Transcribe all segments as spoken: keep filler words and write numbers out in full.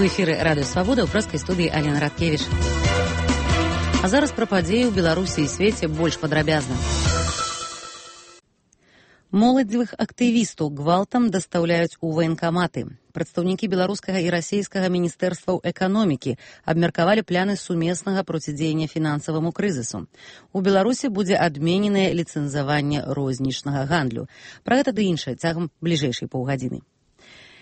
У эфіры радыё Свабода, ў прэскай студыі Алена Радкевіч. А зараз пра падзеі ў Беларусі і свеце больш падрабязна. Моладзевых актывістаў гвалтам дастаўляюць у ваенкаматы. Прадстаўнікі беларускага і расійскага міністэрстваў эканомікі абмеркавалі пляны сумеснага процідзеяння фінансаваму крызісу. У Беларусі будзе адмененае ліцэнзаванне рознічнага гандлю. Пра гэта ды іншае цягам бліжэйшай паўгадзіны.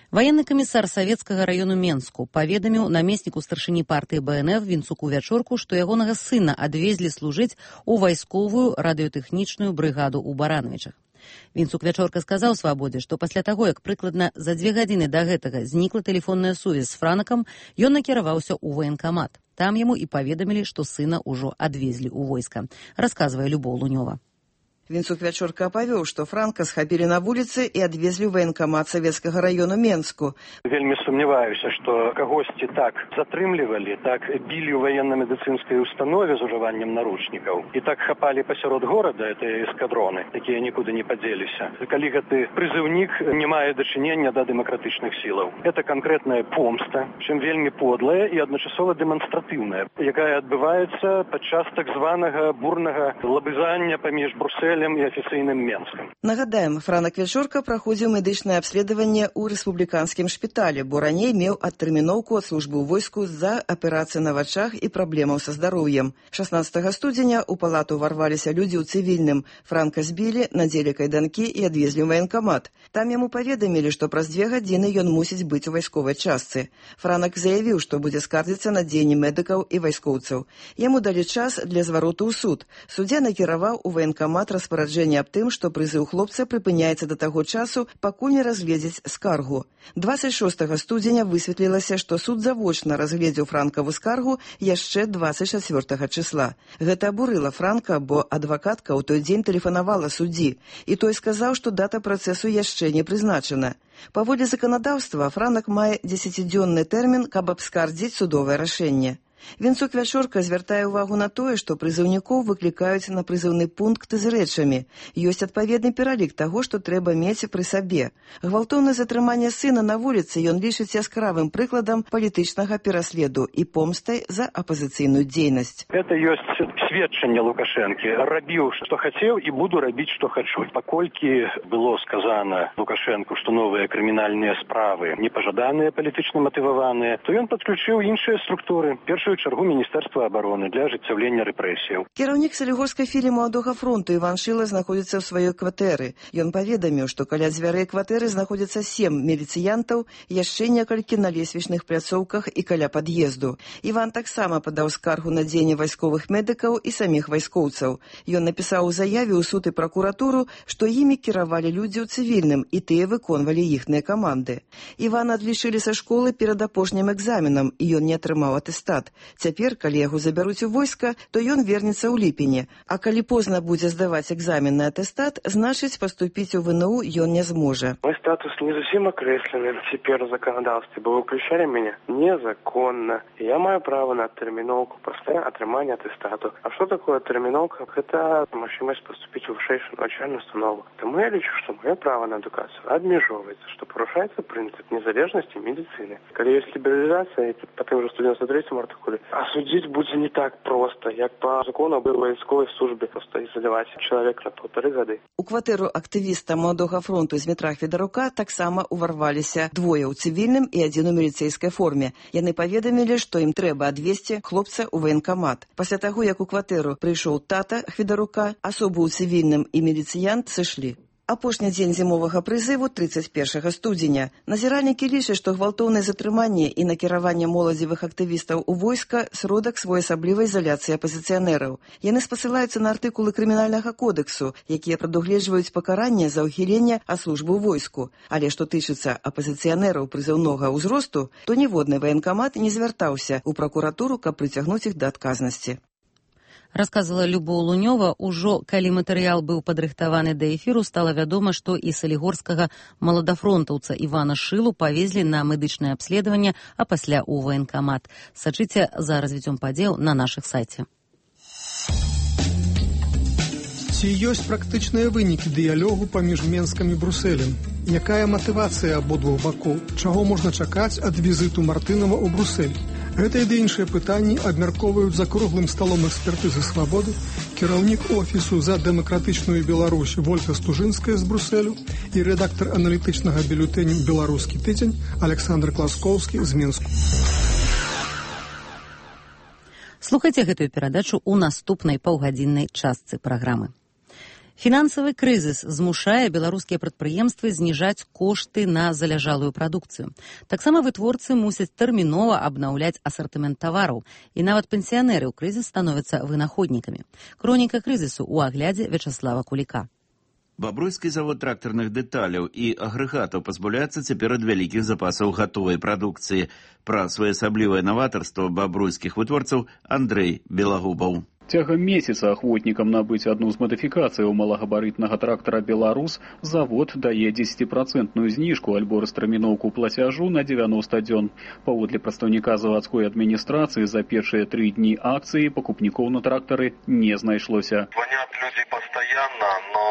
Ваенны камісар савецкага раёну Менску паведаміў намесніку старшыні партыі Бэ Эн Эф Вінцуку Вячорку, што ягонага сына адвезлі служыць у вайсковую радыётэхнічную брыгаду ў Барановічах. Вінцук Вячорка сказаў Свабодзе, што пасля таго, як прыкладна за дзве гадзіны да гэтага знікла тэлефонная сувязь з Франакам, ён накіраваўся ў ваенкамат. Там яму і паведамілі, што сына ўжо адвезлі ў войска. Расказвае Любоў Лунёва. Вінцук Вячорка апавёў, што Франка схапілі на вуліцы і адвезлі ў ваенкамат савецкага раёну Менску. Вельмі сумняваюся, што кагосьці так затрымлівалі, так білі ў ваенна-медыцынскай установе з ужываннем наручнікаў і так хапалі пасярод горада гэтыя эскадроны, якія нікуды не падзеліся. Калі гэты прызыўнік не мае дачынення да дэмакратычных сілаў. Гэта канкрэтная помста, чым вельмі подлая і адначасова дэманстратыўная, якая адбываецца падчас так званага бурнага лабызання паміж Брусэлем і афіцыйным Менскам. Нагадаем, Франак Вячорка праходзіў медычнае абследаванне ў рэспубліканскім шпіталі, бо раней меў адтэрміноўку ад службы ў войску з-за аперацыі на вачах і праблемаў са здароўем. шаснаццатага студзеня ў палату ўварваліся людзі ў цывільным. Франка збілі, надзелі кайданкі і адвезлі ў ваенкамат. Там яму паведамілі, што праз дзве гадзіны ён мусіць быць у вайсковай частцы. Франак заявіў, што будзе скардзіцца на дзеянні медыкаў і вайскоўцаў. Яму далі час для звароту ў суд. Суддзя накіраваў у ваенкамат распараджэнне аб тым, што прызыў хлопца прыпыняецца да таго часу, пакуль не разгледзець скаргу. дваццаць шостага студзеня высветлілася, што суд завочна разгледзеў Франкаву скаргу яшчэ дваццаць чацвёртага чысла. Гэта абурыла Франка, бо адвакатка ў той дзень тэлефанавала суддзі, і той сказаў, што дата працэсу яшчэ не прызначана. Паводле заканадаўства, Франак мае дзесяцідзённы тэрмін, каб абскардзіць судовае рашэнне. Вінцук Вячорка звяртае ўвагу на тое, што прызыўнікоў выклікаюць на прызыўны пункт з рэчамі. Ёсць адпаведны пералік таго, што трэба мець пры сабе. Гвалтоўнае затрыманне сына на вуліцы ён лічыць яскравым прыкладам палітычнага пераследу і помстай за апазіцыйную дзейнасць. Гэта ёсць сведчанне Лукашэнкі. Рабіў, што хацеў, і буду рабіць, што хачу. Паколькі было сказана Лукашэнку, што новыя крымінальныя справы непажаданыя, палітычна матываваныя, то ён падключыў іншыя структуры. Першы у чаргу Міністэрства абароны для ажыццяўлення рэпрэсіяў. Кіраўнік Салігорскай філіі Маладога фронту Іван Шыла знаходзіцца ў сваёй кватэры. Ён паведаміў, што каля дзвярэй кватэры знаходзяцца сем міліцыянтаў, яшчэ некалькі на лесвічных пляцоўках і каля пад'езду. Іван таксама падаў скаргу на дзеянне вайсковых медыкаў і саміх вайскоўцаў. Ён напісаў у заяве ў суд і пракуратуру, што імі кіравалі людзі ў цывільным, і тыя выконвалі іхныя каманды. Івана адлічылі са школы перад апошнім экзаменам, і ён не атрымаў атэстат. Цяпер, калі яго забяруць у войска, то ён вернецца ў ліпені. А калі позна будзе здаваць экзамен на атэстат, значыць, паступіць у Вэ Эн У ён не зможа. Мой статус не зусім акрэслены цяпер у заканадаўстве, бо выключалі мяне незаконна. Я маю права на адтэрміноўку пасля атрымання атэстату. А што такое адтэрміноўка? Гэта магчымасць паступіць у вышэйшую навучальную установу. Таму я лічу, што маё права на адукацыю абмяжоўваецца, што парушаецца прынцып незалежнасці медыцыны. Калі ёсць лібералізацыя, па тым жа сто дзевяносто трэцім артыкуле, а судзіць будзе не так проста, як па закону аб вайсковай службе, проста ізаляваць чалавек на паўтары гады. У кватэру актывіста Маладога фронту Змітра Хведарука таксама ўварваліся двое ў цывільным і адзін у міліцэйскай форме. Яны паведамілі, што ім трэба адвезці хлопца ў ваенкамат. Пасля таго, як у кватэру прыйшоў тата Хведарука, асобы ў цывільным і міліцыянт сышлі. Апошні дзень зімовага прызыву трыццаць першага студзеня. Назіральнікі лічаць, што гвалтоўнае затрыманне і накіраванне моладзевых актывістаў у войска сродак своеасаблівай ізаляцыі апазіцыянераў. Яны спасылаюцца на артыкулы крымінальнага кодексу, якія прадугледжваюць пакаранне за ўхіленне ад службы ў войску. Але што тычыцца апазіцыянераў прызыўнога ўзросту, то ніводны ваенкамат не звяртаўся ў пракуратуру, каб прыцягнуць іх да адказнасці. Расказвала Любоў Лунёва. Ужо калі матэрыял быў падрыхтаваны да эфіру, стала вядома, што і салігорскага маладафронтаўца Івана Шылу павезлі на медычнае абследаванне, а пасля ў ваенкамат. Сачыце за развіццём падзеяў на нашых сайце. Ці ёсць практычныя вынікі дыялогу паміж Менскам і Брусэлем? Якая матывацыя абодвух бакоў? Чаго можна чакаць ад візіту Мартынова ў Брусэль? Гэта і іншыя пытанні абмяркоўваюць за круглым сталом экспертызы свабоды кіраўнік офісу за дэмакратычную Беларусь Вольга Стужынская з Брусэлю і рэдактар аналітычнага бюлетэню «Беларускі тыдзень» Александр Класкоўскі з Менску. Слухайце гэтую перадачу ў наступнай паўгадзіннай частцы праграмы. Фінансавы крызіс змушае беларускія прадпрыемствы зніжаць кошты на заляжалую прадукцыю. Таксама вытворцы мусяць тэрмінова абнаўляць асартымент тавараў, і нават пенсіянеры ў крызіс становяцца вынаходнікамі. Хроніка крызісу ў аглядзе Вячаслава Куліка. Бабруйскі завод трактарных дэталяў і агрэгатаў пазбаўляецца цяпер ад вялікіх запасаў гатовай прадукцыі. Пра своеасаблівае наватарства бабруйскіх вытворцаў Андрэй Белагубаў. Цягам месяца ахвотнікам набыць адну з мадыфікацыяў малагабарытнага трактара «Беларус» завод дае дзесяціпрацэнтную зніжку альбо растэрміноўку плацяжу на дзевяноста дзён. Паводле прадстаўніка завадской адміністрацыі за першыя тры дні акцыі пакупнікоў на трактары не знайшлося. Звонят люди постоянно, но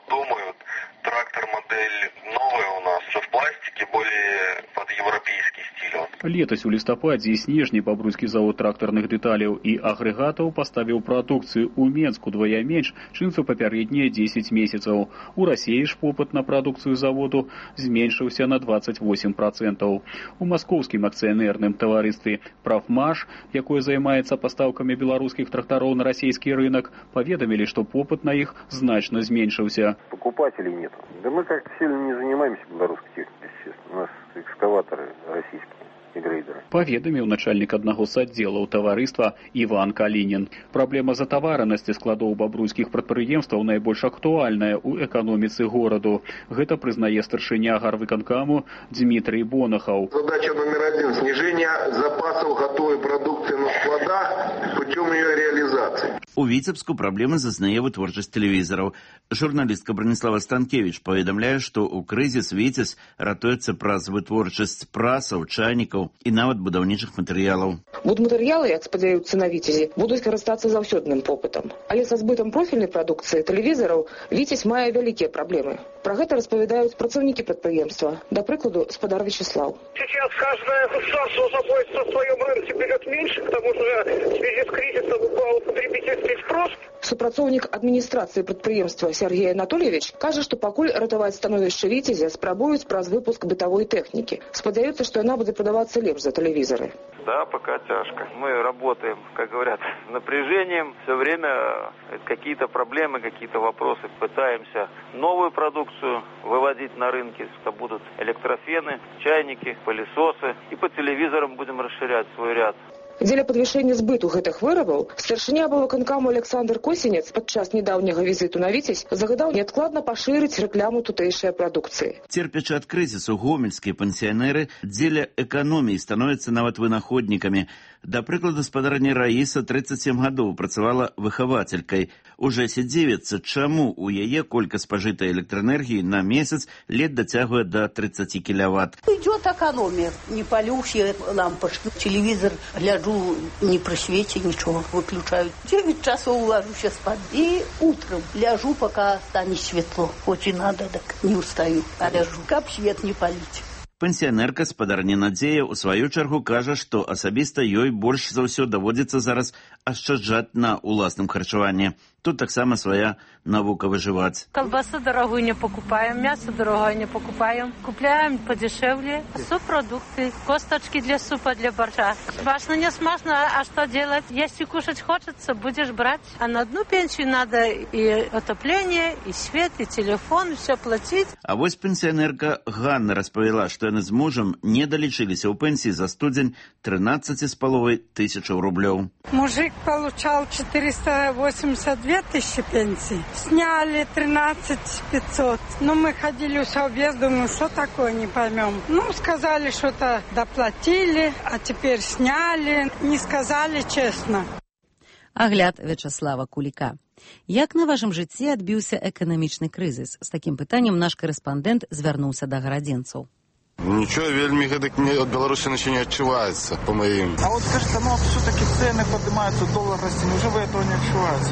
думают, трактор модель новая у нас, все в пластике, более под европейский стиль. Летась у лістападзе і снежні бабруйскі завод трактарных дэталяў і агрэгатаў паставіў прадукцыю ў Менску двая менш, чым за папярэднія дзесяць месяцаў. У Расіі ж попыт на прадукцыю заводу зменшыўся на дваццаць восем працэнтаў. У маскоўскім акцыянерным таварыстве «Прафмаш», якое займаецца пастаўкамі беларускіх трактароў на расійскі рынок, паведамілі, што попыт на іх значна зменшыўся. Покупателей нет. Да мы как-то сильно не занимаемся белорусской техникой, естественно. У нас экскаваторы российские. Паведаміў начальнік аднаго з аддзелаў таварыства Іван Калінін. Праблема затаваранасці складоў бабруйскіх прадпрыемстваў найбольш актуальная ў эканоміцы гораду. Гэта прызнае старшыня гарвыканкаму Дмітрий Бонахаў. Задача номер один – снижение запасов готовой продукции на складах путем ее реализации. У Віцебску праблемы зазнае вытворчасць тэлевізараў. Журналістка Браніслава Станкевіч паведамляе, што ў крызіс Віцебск ратуецца праз вытворчасць прасаў, чайнікаў і нават будаўнічых матэрыялаў. Будматэрыялы, як спадзяюцца на Віцязі, будуць карыстацца заўсёдным попытам. Але са збытам профільнай прадукцыі тэлевізараў Віцязь мае вялікія праблемы. Пра гэта распавядаюць працаўнікі прадпрыемства. Да прыкладу, спадар Вячеслав. Сейчас каждое государство заботится о своем рынке берет меньше, к тому же в связи с кризисом упал потребительский спрос. Супрацоўнік адміністрацыі прадпрыемства Сергей Анатольевич кажа, што пакуль ратаваць становішча Віцязя спрабуюць праз выпуск бытавой тэхнікі. Спадзяюцца, што яна будзе прадавацца лепш за телевизоры. Да, пока тяжко. Мы работаем, как говорят, с напряжением. Все время какие-то проблемы, какие-то вопросы. Пытаемся новую продукцию выводить на рынки. Это будут электрофены, чайники, пылесосы. И по телевизорам будем расширять свой ряд. Дзеля падвышэння збыту гэтых вырабаў старшыня аблвыканкаму Александр Косінец падчас нядаўняга візіту на Віцязь загадаў неадкладна пашырыць рэкламу тутэйшай прадукцыі. Церпячы ад крызісу гомельскія пенсіянеры дзеля эканоміі становяцца нават вынаходнікамі. Да прыкладу, спадарня Раіса тридцать семь гадоў працавала выхавацелькай. Уже сядзівецца, чаму у яе колькасць спажытай электраэнергіі на месяц лет дацягвае до тридцати киловатт. Идет экономия. Не палю все лампочки. Телевизор гляжу, не при свете ничего выключают. девять часов ложусь спать. И утром ляжу, пока станет светло. Хоть и надо, так не устаю. А ляжу. Как свет не палить. Пенсіянерка спадарня Надзея у сваю чаргу кажа, што асабіста ёй больш за ўсё даводзіцца зараз ашчаджаць на уласным харчаванні. Тут таксама своя наука выживать. Колбасу дорогую не покупаем, мясо дорогое не покупаем. Купляем подешевле. Субпродукты, косточки для супа, для борща. Смачно, не смачно, а что делать? Если кушать хочется, будешь брать. А на одну пенсию надо и отопление, и свет, и телефон, и все платить. А вось пенсіянерка Ганна распавяла, што яны з мужам не далічыліся ў пенсіі за студзень тринадцать с половой тысячаў рублёў. Мужик получал четыреста восемьдесят две тысячи пенсий. Сняли тринадцать пятьсот. Ну, мы ходили в совбез, думаю, что такое, не поймем. Ну, сказали, что-то доплатили, а теперь сняли. Не сказали честно. Агляд Вячаслава Куліка. Як на вашым жыцці адбіўся эканамічны крызіс? З такім пытаннем наш корэспандэнт звярнуўся да гарадзенцаў. Ничего, вельми гэтак от Беларуси ничего не отчувается, по моим. А вот скажите, ну вот все-таки цены поднимаются, доллар растет, уже вы этого не отчуваете?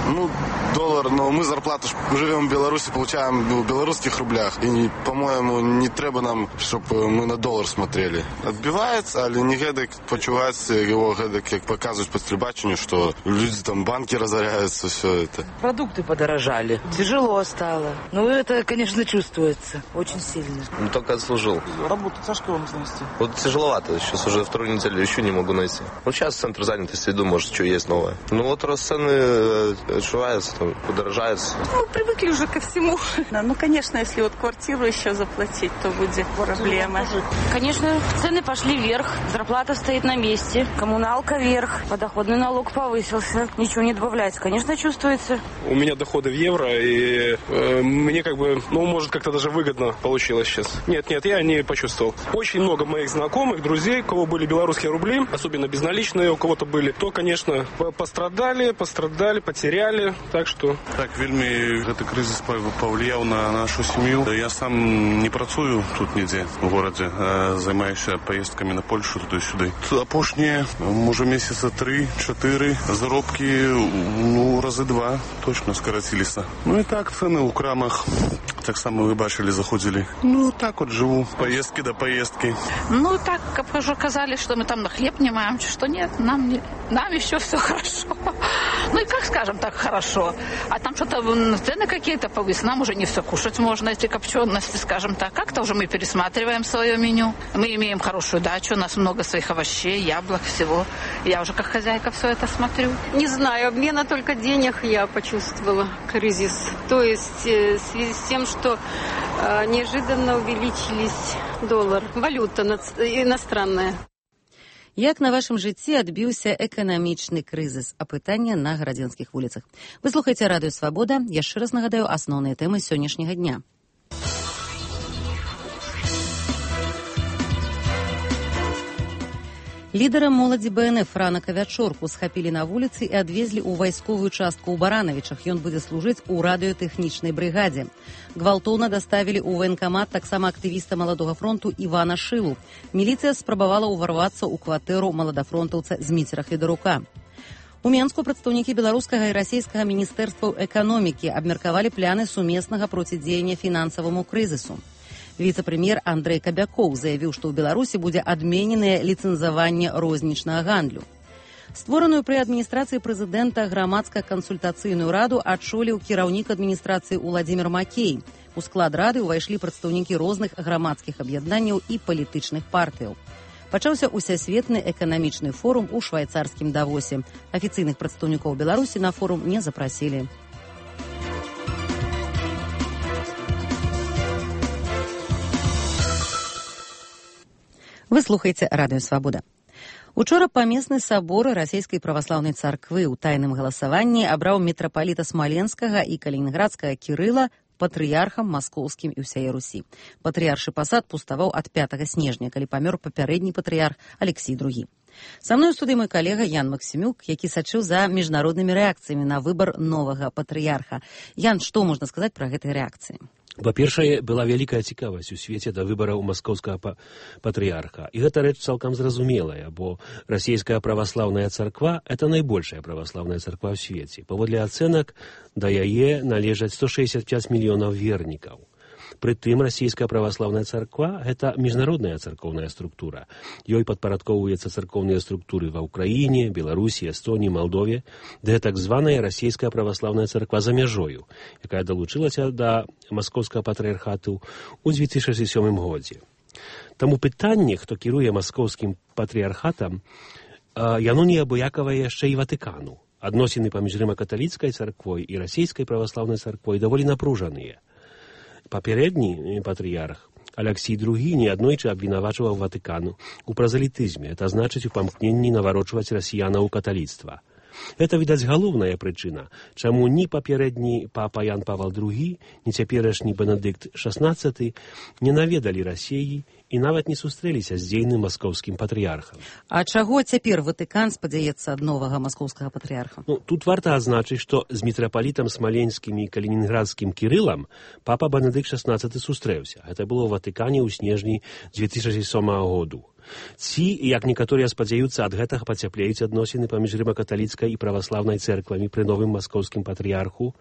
Ну, доллар, но мы зарплату живем в Беларуси, получаем в белорусских рублях. И, по-моему, не треба нам, чтобы мы на доллар смотрели. Отбивается, але не гэдак почувается его гэдак, как показывают по телебачению, что люди там, банки разоряются, все это. Продукты подорожали, тяжело стало. Ну, это, конечно, чувствуется очень сильно. Ну, только отслужил. Работу тяжко вам занести? Вот тяжеловато, сейчас уже вторую неделю еще не могу найти. Ну, сейчас центр занятости, иду, может, что есть новое. Ну, вот рост цены отшивается, там, подорожается. Ну, привыкли уже ко всему. Да, ну, конечно, если вот квартиру еще заплатить, то будет проблема. Конечно, цены пошли вверх, зарплата стоит на месте, коммуналка вверх, подоходный налог повысился, ничего не добавляется, конечно, чувствуется. У меня доходы в евро, и э, мне как бы, ну, может, как-то даже выгодно получилось сейчас. Нет, нет, я не почувствовал. Очень много моих знакомых, друзей, у кого были белорусские рубли, особенно безналичные у кого-то были, то, конечно, пострадали, пострадали, потеряли, так что... Так, вельми этот кризис повлиял на нашу семью. Я сам не працую тут нигде в городе, а занимаюсь поездками на Польшу туди-сюди. Апошние, може, месяца три-четыре, заробки, ну, разы два точно скоротились. Ну и так, цены у крамах, так само вы бачили, заходили. Ну, так вот живу, поездки до поездки. Ну, так, как уже казали, что мы там на хлеб не маем, что нет, нам, не, нам еще все хорошо. Ну и как скажем так, хорошо. А там что-то цены какие-то повысили, нам уже не все кушать можно, эти копчености, скажем так. Как-то уже мы пересматриваем свое меню. Мы имеем хорошую дачу, у нас много своих овощей, яблок, всего. Я уже как хозяйка все это смотрю. Не знаю, обмена только денег я почувствовала, кризис. То есть в связи с тем, что э, неожиданно увеличились доллар, валюта иностранная. Як на вашым жыцці адбіўся эканамічны крызіс? Апытанне на гарадзенскіх вуліцах. Вы слухаеце радыё «Свабода». Яшчэ раз нагадаю асноўныя тэмы сённяшняга дня. Лідара моладзі бэ эн эф Франака Вячорку схапілі на вуліцы і адвезлі ў вайсковую частку ў Баранавічах. Ён будзе служыць у радыётэхнічнай брыгадзе. Гвалтоўна даставілі ў ваенкамат таксама актывіста Маладога фронту Івана Шылу. Міліцыя спрабавала ўварвацца ў кватэру маладафронтаўца Зміцера Федарука. У Менску прадстаўнікі беларускага і расійскага міністэрстваў эканомікі абмеркавалі пляны сумеснага процідзеяння фінансаваму крызісу. Віцэ-прэм'ер Андрэй Кабякоў заявіў, што ў Беларусі будзе адмененае ліцэнзаванне рознічнага гандлю. Створаную пры адміністрацыі прэзідэнта грамадска-кансультацыйную раду адчоліў кіраўнік адміністрацыі Уладзімір Макей. У склад рады ўвайшлі прадстаўнікі розных грамадскіх аб'яднанняў і палітычных партыяў. Пачаўся усесветны эканамічны форум у швайцарскім Давосе. Афіцыйных прадстаўнікоў Беларусі на форум не запрасілі. Вы слухаеце радыё «Свабода». Учора памесны сабор расійскай праваслаўнай царквы ў тайным галасаванні абраў мітрапаліта Смаленскага і Калінінградскага Кірыла патрыярхам маскоўскім і ўсяе Русі. Патрыяршы пасад пуставаў ад пятага снежня, калі памёр папярэдні патрыярх Алексій другі. Са мной у студыі мой калега Ян Максімюк, які сачыў за міжнароднымі рэакцыямі на выбар новага патрыярха. Ян, што можна сказаць пра гэтыя рэакцыі? Па-першае, была вялікая цікавасць у свеце да выбараў маскоўскага патрыярха. І гэта рэч цалкам зразумелая, бо расійская праваслаўная царква – это найбольшая праваслаўная царква ў свеце. Паводле ацэнак, да яе належаць сто шэсцьдзесят пяць мільёнаў вернікаў. Прытым расійская праваслаўная царква – гэта міжнародная царкоўная структура. Ёй падпарадкоўваюцца царкоўныя структуры ва Ўкраіне, Беларусі, Эстоніі, Малдове, ды так званая расійская праваслаўная царква за мяжою, якая далучылася да маскоўскага патрыярхату ў дзве тысячы сёмым годзе. Таму пытанне, хто кіруе маскоўскім патрыярхатам, яно неабыякавае яшчэ і Ватыкану. Адносіны паміж рыма-каталіцкай царквой і расійскай праваслаўнай царквой даволі напружаныя. Папярэдні патрыярх Алексій другі неаднойчы абвінавачваў Ватыкану у празалітызме, это значыць у памкненні наварочваць расіянаў у каталіцтва. Гэта, відаць, галоўная прычына, чаму ні папярэдні папа Ян Павел другі, ні цяперашні Бенедыкт шаснаццаты не наведалі Расіі і нават не сустрэліся з дзейным маскоўскім патрыярхам. А чаго цяпер Ватыкан спадзяецца ад новага маскоўскага патрыярха? Ну, тут варта адзначыць, што з мітрапалітам смаленскім і калінінградскім Кірылам папа Бенедыкт шаснаццаты сустрэўся. Гэта было ў Ватыкане ў снежні дзве тысячы сёмага году. Ці, як некаторыя спадзяюцца, ад гэтага пацяплеюць адносіны паміж рыма-каталіцкай і праваслаўнай цэрквамі пры новым маскоўскім патрыярху.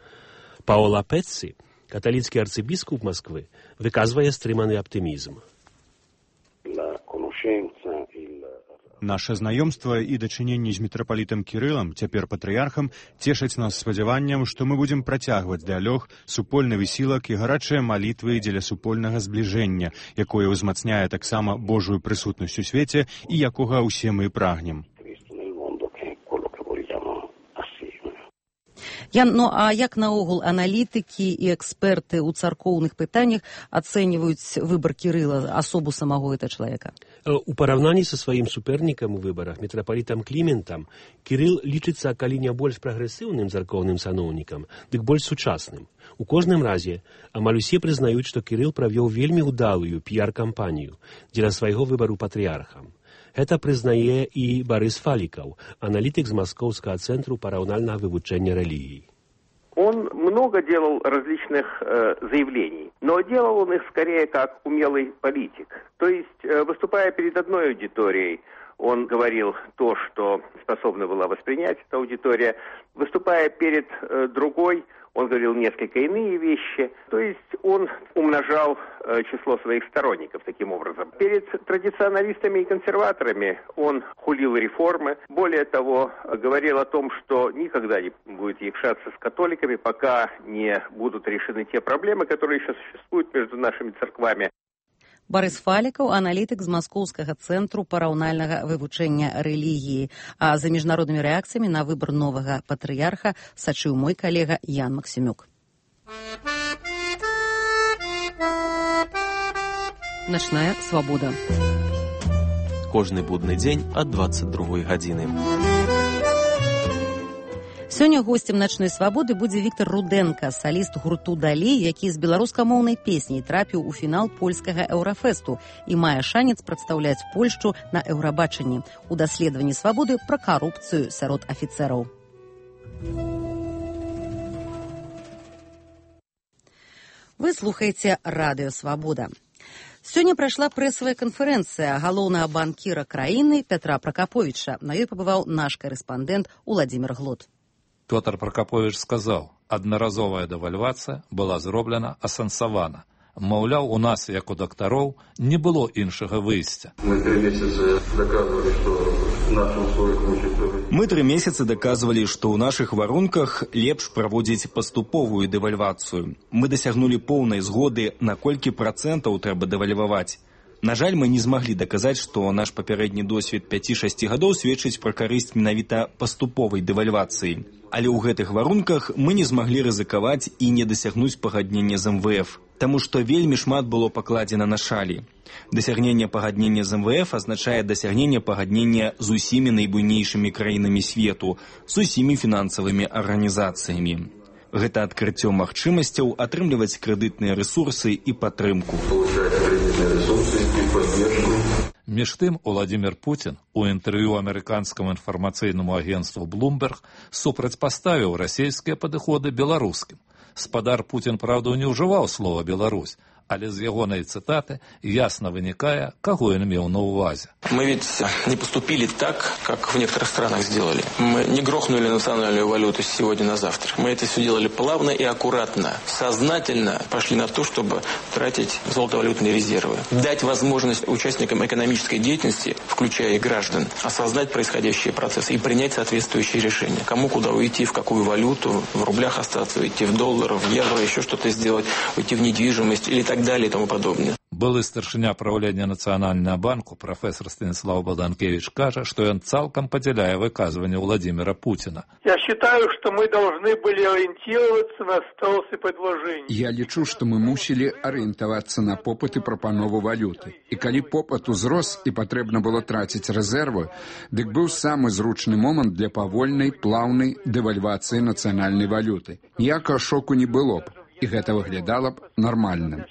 Паола Пецці, каталіцкі арцыбіскуп Масквы, выказвае стрыманы аптымізм. Наше знаёмства і дачыненні з мітрапалітам Кірылам, цяпер патрыярхам, цешаць нас спадзяваннем, што мы будзем працягваць дыялог, супольны высілак і гарачыя малітвы дзеля супольнага збліжэння, якое ўзмацняе таксама Божую прысутнасць у свеце і якога ўсе мы прагнем. Ян, ну а як наогул аналітыкі і эксперты ў царкоўных пытаннях ацэньваюць выбар Кірыла, асобу самого гэта чалавека? У параўнанні са сваім супернікам у выбарах, мітрапалітам Кліментам, Кірыл лічыцца, калі не больш прагрэсіўным царкоўным саноўнікам, дык больш сучасным. У кожным разе, амаль усе прызнаюць, што Кірыл правёў вельмі ўдалую піяр-кампанію дзеля свайго выбару патрыярхам. Это прызнае і Барыс Фалікаў, аналітык з Маскоўскага цэнтру параўнальнага вывучэння рэлігій. Он много делал различных э, заявлений, но делал он их скорее как умелый политик. То есть, э, выступая перед одной аудиторией, он говорил то, что способна была воспринять эта аудитория. Выступая перед э, другой, он говорил несколько иные вещи. То есть он умножал э, число своих сторонников таким образом. Перед традиционалистами и консерваторами он хулил реформы. Более того, говорил о том, что никогда не будет якшаться с католиками, пока не будут решены те проблемы, которые еще существуют между нашими церквами. Барыс Фалікаў, аналітык з Маскоўскага цэнтру параўнальнага вывучэння рэлігіі. А за міжнароднымі рэакцыямі на выбар новага патрыярха сачыў мой калега Ян Максімюк. Начная свабода. Кожны будны дзень ад дваццаць другой гадзіны. Сёння госцем начной свабоды будзе Віктор Руденка, саліст гурту «Далей», які з беларускамоўнай песняй трапіў у фінал польскага еўрафэсту і мае шанец прадстаўляць Польшчу на еўрабачанні у даследаванні свабоды пра карупцыю сярод афіцэраў. Вы слухаеце радыё «Свабода». Сёння прайшла прэсавая канферэнцыя галоўнага банкіра краіны Пятра Пракаповіча. На ёй пабываў наш корэспандэнт Уладзімір Глот. Пётр Пракапович сказаў, аднаразовая дэвальвацыя была зроблена асэнсавана. Маўляў, у нас, як у дактароў, не было іншага выйсця. Мы три месяца доказывали, что в нашем условиях лучше. Мы три месяца доказывали, что у наших варунках лепш праводзіць паступовую дэвальвацыю. Мы дасягнули поўнай згоды, на колькі працэнтаў трэба дэвальваваць. На жаль, мы не змаглі даказаць, што наш папярэдні досвед пяці-шасці гадоў сведчыць пра карысць менавіта паступовай дэвальвацыі. Але ў гэтых варунках мы не змаглі рызыкаваць і не дасягнуць пагаднення з эм вэ эф, таму што вельмі шмат было пакладзена на шалі. Дасягненне пагаднення з эм вэ эф азначае дасягненне пагаднення з усімі найбуйнейшымі краінамі свету, з усімі фінансавымі арганізацыямі. Гэта адкрыццё магчымасцяў атрымліваць крэдытныя рэсурсы і падтрымку. Між тым, Уладзімір Пуцін у інтэрв'ю амерыканскаму інфармацыйнаму агенцтву Bloomberg супрацьпаставіў расійскія падыходы беларускім. Спадар Пуцін, праўда, не ўжываў слова «Беларусь», але з ягонай цытаты ясно вынікае, каго ён меў на ўвазе. Мы ведь не поступили так, как в некоторых странах сделали. Мы не грохнули национальную валюту с сегодня на завтра. Мы это все делали плавно и аккуратно. Сознательно пошли на то, чтобы тратить золотовалютные резервы. Дать возможность участникам экономической деятельности, включая и граждан, осознать происходящие процессы и принять соответствующие решения. Кому куда уйти, в какую валюту, в рублях остаться, уйти в долларах, в евро, еще что-то сделать, уйти в недвижимость или так далее и тому подобное. Былы старшыня правлення Нацыянальнага банку прафесор Станислав Баданкевич кажа, што ён цалкам падзяляе выказванне Владимира Путина. Я считаю, что мы должны были ориентироваться на спрос и предложение. Я лічу, што мы мусілі арыентавацца на попыт і прапанову валюты. І калі попыт узрос і патрэбна было траціць рэзервы, дык быў самы зручны момант для павольнай, плаўнай дэвальвацыі нацыянальнай валюты. Ніякага шоку не было б. і гэта выглядала б нармальным.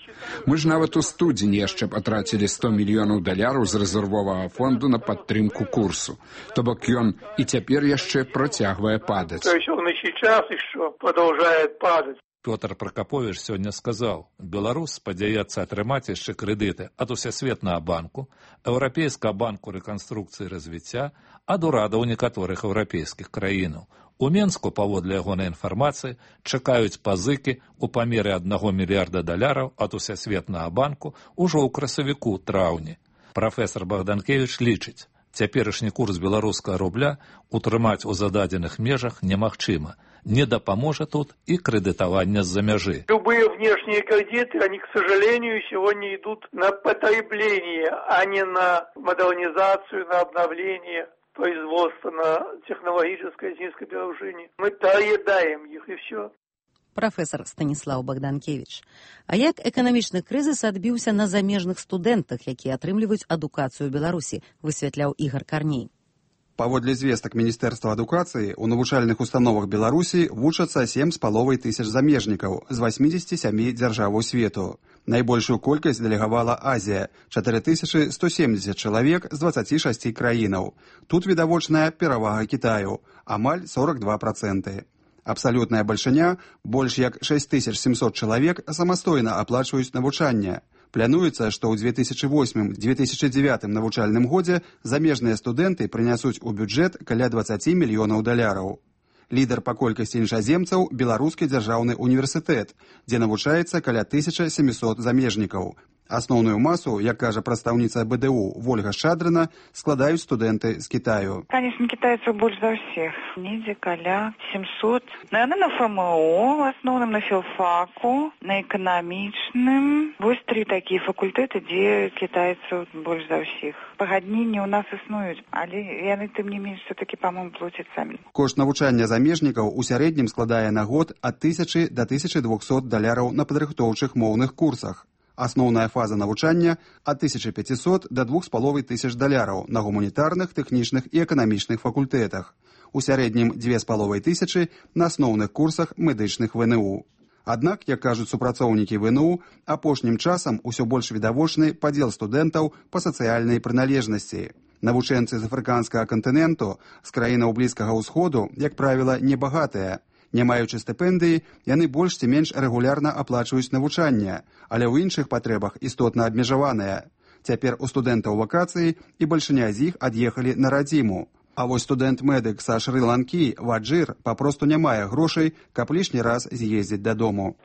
Мы ж нават у студзені яшчэ патрацілі сто мільёнаў даляраў з рэзервовага фонду на падтрымку курсу. То бок ён і цяпер яшчэ працягвае падаць. То есть он и сейчас еще продолжает падать. Пётр Пракапович сёння сказаў, Беларусь спадзяецца атрымаць яшчэ крэдыты ад Усесветнага банку, Еўрапейскага банку рэканструкцыі і развіцця, ад урадаў некаторых еўрапейскіх краінаў. У Менску, паводле ягонай інфармацыі, чакаюць пазыкі ў памеры аднаго мільярда даляраў ад Усесветнага банку ўжо ў красавіку-траўні. Прафесар Богданкевич лічыць, цяперашні курс беларускага рубля утрымаць у зададзеных межах немагчыма. Не дапаможа тут и кредитование с-за мяжи. Любые внешние кредиты, они, к сожалению, сегодня идут на потребление, а не на модернизацию, на обновление производства, на технологическое низкоперерожение. Мы доедаем их, и все. Прафесор Станіслаў Богданкевич. А як эканамічны крызіс адбіўся на замежных студэнтах, якія атрымліваюць адукацыю ў Беларусі, высвятляў Ігор Карней. Паводле звестак Міністэрства адукацыі, у навучальных установах Беларусі вучацца сем з паловай тысяч замежнікаў з васьмідзесяці сямі дзяржаваў свету. Найбольшую колькасць дэлегавала Азія – чатыры тысячы сто семдзесят чалавек з дваццаці шасці краінаў. Тут відавочная перавага Кітаю – амаль сорок два проценты. Абсалютная бальшыня – больш як шэсць тысяч сямсот чалавек самастойна аплачваюць навучанне. Плануецца, што ў две тысячы восьмым — две тысячы дзевятым навучальным годзе замежныя студэнты прынясуць у бюджэт каля дваццаці мільёнаў даляраў. Лідар па колькасці іншаземцаў – Беларускі дзяржаўны універсітэт, дзе навучаецца каля тысяча сямісот замежнікаў. Асноўную масу, як кажа прадстаўніца бэ дэ у Вольга Шадрына, складаюць студэнты з Кітаю. Конечно, китайцев больше за всех. Недзе каля семьсот. Наверное, на эф эм о, в основном на филфаку, на экономичным. Вось три такие факультэты, где китайцев больше за всех. Пагадненні у нас існуюць, але яны тым не менш все-таки, по-моему, плацяць самі. Кошт навучання замежнікаў у сярэднім складае на год ад тысячы да тысячы двухсот даляраў на падрыхтоўчых моўных курсах. Асноўная фаза навучання ад тысячы пяцісот да двух з паловай тысяч даляраў на гуманітарных, тэхнічных і эканамічных факультэтах. У сярэднім дзве з паловай тысячы на асноўных курсах медычных вэ эн у. Аднак, як кажуць супрацоўнікі вэ эн у, апошнім часам усё больш відавочны падзел студэнтаў па сацыяльнай прыналежнасці. Навучэнцы з афрыканскага кантыненту, з краінаў Блізкага ўсходу, як правіла, небагатыя. Не маючы стыпендыі, яны больш ці менш рэгулярна аплачваюць навучанне, але ў іншых патрэбах істотна абмежаваныя. Цяпер у студэнтаў вакацыі і бальшыня з іх ад'ехалі на радзіму. А вось студэнт-медык са Шры-Ланкі, Ваджыр, папросту не мае грошай, каб лішні раз з'ездзіць дадому.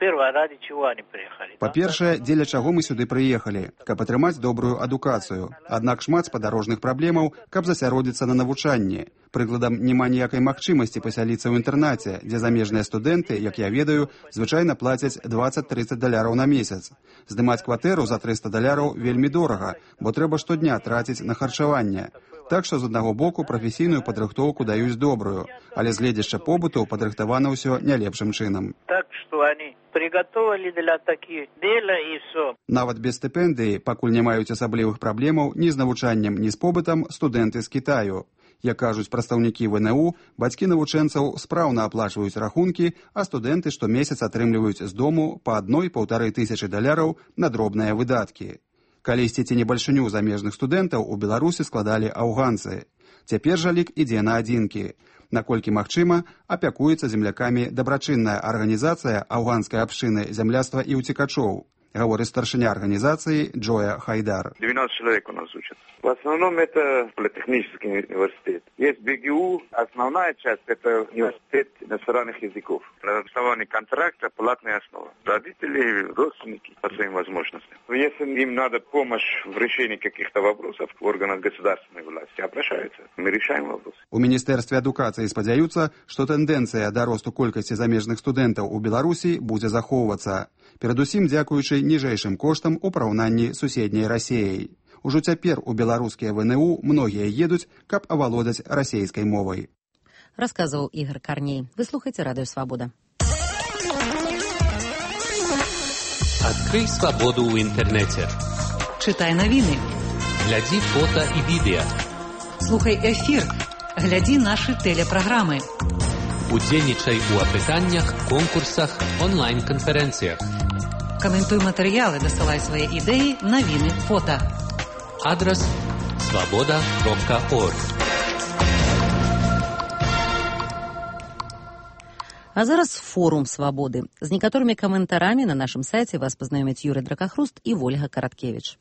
Па-першае, дзеля чаго мы сюды прыехалі, каб атрымаць добрую адукацыю. Аднак шмат спадарожных праблемаў, каб засяродзіцца на навучанні. Прыкладам, няма ніякай магчымасці пасяліцца ў інтэрнаце, дзе замежныя студэнты, як я ведаю, звычайна плацяць дваццаць-трыццаць даляраў на месяц. Здымаць кватэру за трыста даляраў вельмі дорага, бо трэба штодня траціць на харчаванне. Так што з аднаго боку прафесійную падрыхтоўку даюць добрую, але з гледзяшча побыту падрыхтавана ўсё не лепшым чынам. Так што они приготовили для такіх дела і все. Нават без стыпендыі, пакуль не маюць асаблівых праблемаў ні з навучаннем, ні з побытам, студэнты з Кітаю. Як кажуць прадстаўнікі вэ эн у, бацькі навучэнцаў спраўна аплачваюць рахункі, а студэнты штомесяц атрымліваюць з дому па адной-паўтары тысячы даляраў на дробныя выдаткі. Калісьці ці небальшыню замежных студэнтаў у Беларусі складалі афганцы. Цяпер жа лік ідзе на адзінкі. Наколькі магчыма, апякуецца землякамі дабрачынная арганізацыя афганскай абшчыны зямляства і ўцекачоў. Говорит старшиня организации Джоя Хайдар. двенадцать человек у нас учатся. В основном это политехнический университет. Есть бэ гэ у, основная часть это университет иностранных языков. На основании контракта платная основа. Родители, родственники по своим возможностям. Если им надо помощь в решении каких-то вопросов в органах государственной власти, обращаются. Мы решаем вопрос. У Міністэрстве адукацыі спадзяюцца, што тэндэнцыя да росту колькасці замежных студэнтаў у Беларусі будзе захоўвацца. Перадусім дзякуючы ніжэйшым коштам у параўнанні з суседняй Расіяй. Ужо цяпер у беларускія вэ эн у многія едуць, каб авалодаць расейскай мовай. Расказваў Ігор Карней. Вы слухаеце Радыё Свабода. Адкрый свабоду ў інтэрнэце. Чытай навіны. Глядзі фота і відэа. Слухай эфір. Глядзі нашы тэлепраграмы. Удзельнічай у апытаннях, конкурсах, онлайн-канферэнцыях. Каментуй матэрыялы, дасылай свае ідэі, навіны, фота. Адрас свабода кропка орг. А зараз форум свабоды. З некаторымі каментарамі на нашым сайце вас пазнаёмяць Юрый Дракахруст і Вольга Караткевіч.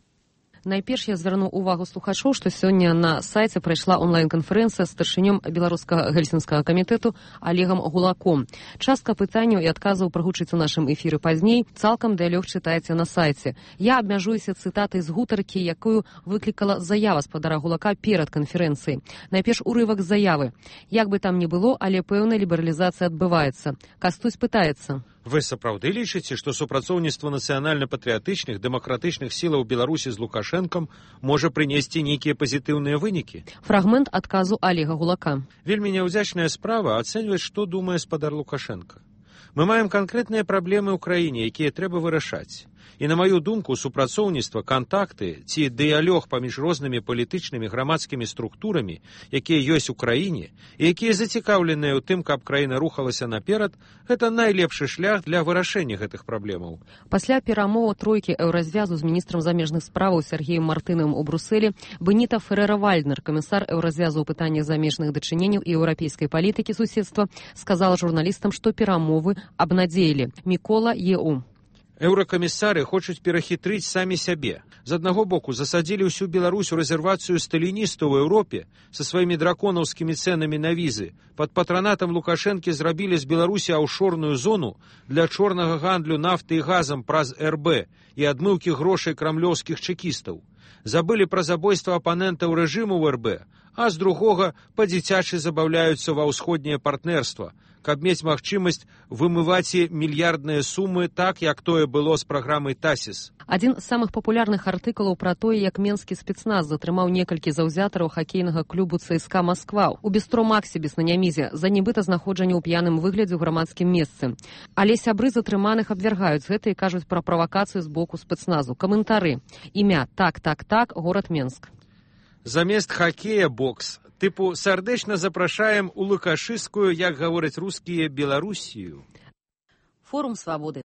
Найперш я звярну увагу слухачоў, што сёння на сайце прайшла онлайн-канферэнцыя з старшынём беларускага гельсінскага камітэту Олегам Гулаком. Частка пытанняў і адказаў прагучыць у нашым эфіры пазней, цалкам дыялог чытаеце на сайце. Я абмяжуюся цытатай з гутаркі, якую выклікала заява спадара Гулака перад канферэнцыяй. Найперш урывак заявы. Як бы там ні было, але пэўная лібералізацыя адбываецца. Кастусь пытаецца. Вы сапраўды лічыце, што супрацоўніцтва нацыянальна-патрыятычных дэмакратычных сілаў Беларусі з Лукашэнкам можа прынесці нейкія пазітыўныя вынікі? Фрагмент адказу Олега Гулака. Вельмі няўдзячная справа ацэньваць, што думае спадар Лукашэнка. Мы маем канкрэтныя праблемы ў краіне, якія трэба вырашаць. І, на маю думку, супрацоўніцтва, кантакты ці дыялог паміж рознымі палітычнымі грамадскімі структурамі, якія ёсць у краіне, і якія зацікаўленыя ў тым, каб краіна рухалася наперад, гэта найлепшы шлях для вырашэння гэтых праблемаў. Пасля перамоваў тройкі еўразвязу з міністрам замежных справаў Сергеем Мартынавым у Брусэлі, Беніта Ферера-Вальднер, камісар еўразвязу ў пытаннях замежных дачыненняў і еўрапейскай палітыкі суседства, сказала журналістам, што перамовы абнадзеілі. Мікола Еу. Еўракамісары хочуць перахітрыць самі сябе. З аднаго боку, засадзілі ўсю Беларусь у рэзервацыю сталіністаў у Еўропе са сваімі драконаўскімі цэнамі на візы. Пад патранатам Лукашэнкі зрабілі з Беларусі аўшорную зону для чорнага гандлю нафты і газам праз эр бэ і адмыўкі грошай крамлёўскіх чэкістаў. Забылі пра забойства апанентаў рэжыму ў эр бэ, а з другога па-дзіцячы забаўляюцца ва ўсходняе партнерства, каб мець магчымасць вымываць мільярдныя сумы так, як тое было з праграмай ТАСІС. Адзін з самых папулярных артыкулаў пра тое, як менскі спецназ затрымаў некалькі заўзятараў хакейнага клубу ЦСКА Масква у бістро Максібіс на Нямізе за нібыта знаходжанне ў п'яным выглядзе ў грамадскім месцы. Але сябры затрыманых абвяргаюць гэта і кажуць пра правакацыю з боку спецназу. Каментары. Імя так-так-так, горад Менск. Замест хакея бокс. Тыпу сардэчна запрашаем у лукашыскую, як гавораць рускія, Беларусію. Форум свабоды.